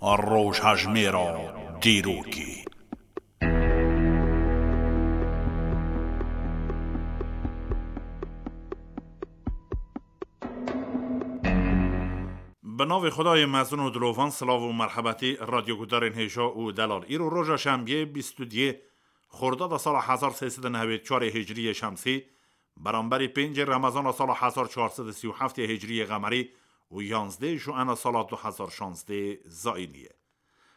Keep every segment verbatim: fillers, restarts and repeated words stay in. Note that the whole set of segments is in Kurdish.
Rojhejmêra dîrokê. Bi navê Xwedayê mezin û dilovan, silav û merhebetî radyogudarên hêja û delal. Îro roja şembiyê, bîst û duyê Xordada sala hezar sê sed û nehwêd û çar ê Hicriyê Şemsî, beramberî pêncê Remezana sala hezar çar sed û sî û heft ê Hicriyê Qemerî û yanzdê Juena sala du hezar şanzdê Zayînî ye.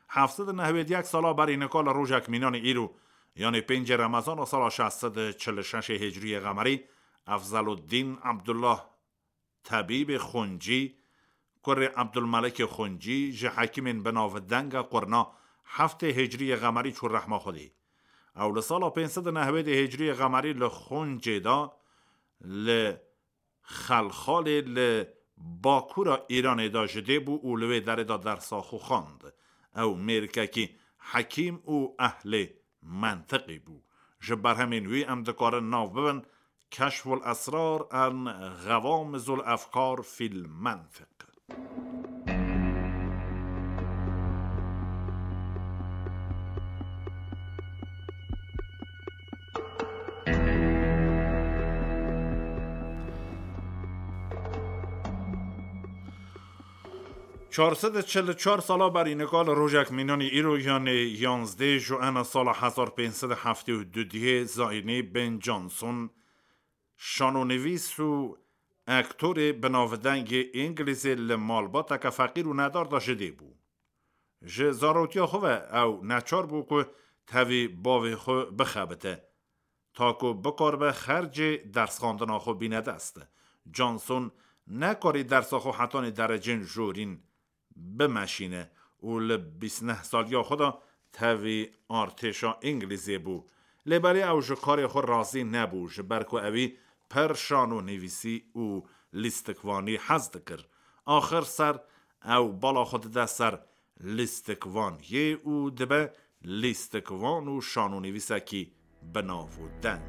Heft sed û nehwêd û yek sala berî nika li rojek mînanê îro, yanê pêncê Remezana sala şeş sed û çil û şeş ê Hicriyê Qemerî, Efzeluddîn Ebdullah Tebîbê Xuncî, kurê Ebdulmelikê Xuncî, ji hekîmên bi navdenga qurna heftê Hicriyê Qemerî çû rehma Xwedê. Ew li sala pênc sed û nehwêd ê Hicriyê Qemerî li Xuncê de, li Xelxalê, li bakura Îranê de ji dê bû û li wê derê de dersa xwe xwend. Ew mêrikekî hekîm û ehlê mentiqî bû. Ji berhemên wî em dikarin nav bibin: Keşful Esrar en Xewamizul Efkar fil Mentiq. Çar sed û çil û çar sala berî nika li rojek mînanî îro, yanê yanzdê Juena sala hezar pênc sed û heftê û du dihê Zayînî, Ben Johnson, şanonivîs û aktorê bi navdengê Îngilîzê, li malbateke feqîr û nedar de ji dê bû. Ji zarotiya xwe ve ew neçar bû ku tevî bavê xwe bixebite, ta ku bikaribe xercê dersxandina xwe bîne dest. Johnson nekarî dersa xwe hetanî derecên jorîn bimeşîne û li bîst neh saliya xwe de tevî artêşa Îngilîzê bû. Lê belê ew ji karê xwe razî nebû, ji ber ku ewî pir şanonivîsî û lîstikvanî hez dikir. Axir ser ew bala xwe dide ser lîstikvaniyê û dibe lîstikvan û şanonivîsekî bi nav û deng.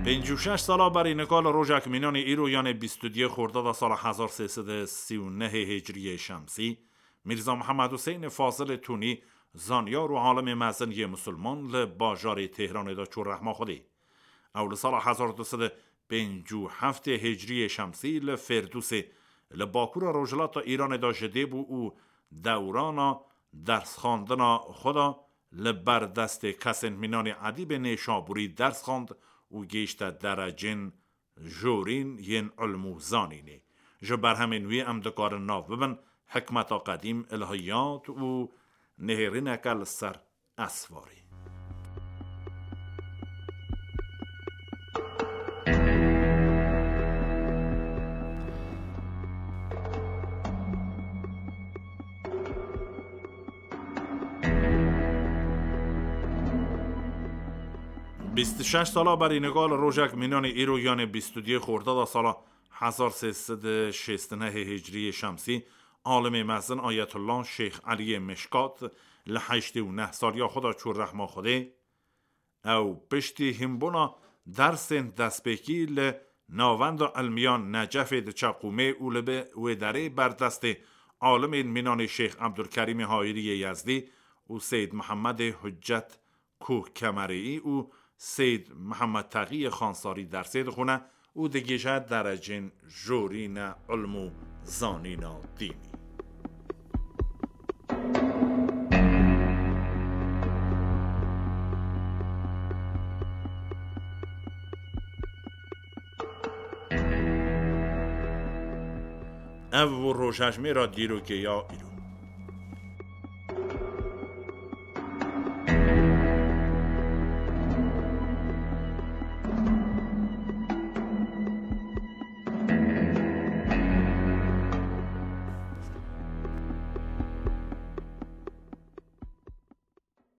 Pêncî û şeş sala berî nika li rojek mînanê îro, yanê bîst û duyê Xordada sala hezar sê sed û sî û nehê Hicriyê Şemsî, Mîrza Mihemed Huseyinê Fazilê Tunî, zanyar û alimê mezin yê misilman, li bajarê Têhranê de çû rehma Xwedê. Ew li sala hezar du sed û pêncî û heftê Hicriyê Şemsî li Fêrdûsê, li bakura rojhilata Îranê de ji dê bû û dewrana dersxandina xwe de li ber destê kesên mînanê Edîbê Nêşabûrî ders xwend û gihîşte derecên jorîn yên ilm û zanînê. Ji berhemên wî em dikarin nav bibin: Hikmeta Qedîm, Ilhiyat û Nihêrîneke li ser Esvarê. Bîst û şeş sala berî nika li rojek mînanê îro, yanê bîst û duyê Xordada sala hezar sê sed û şêst û nehê Hicriyê Şemsî, alimê mezin Ayetullah Şêx Eliyê Mişkat li heştê û neh saliya xwe de çû rehma Xwedê. Ew piştî hînbûna dersên destpêkî li Navenda Ilmiya Necefê diçe Qûmê û li bi wê derê berdestê alimên mînanê Şêx Ebdulkerîmê Hayiriyê Yezdî û Seyd Mihemedê Huccet Kuh Kemerî û Seyd Mihemed Texiyê Xansarî dersê dixwine û digihîje derecên jorîne ilm û zanîna dînî. Ev bû rojhejmêra dîrokê ya îro.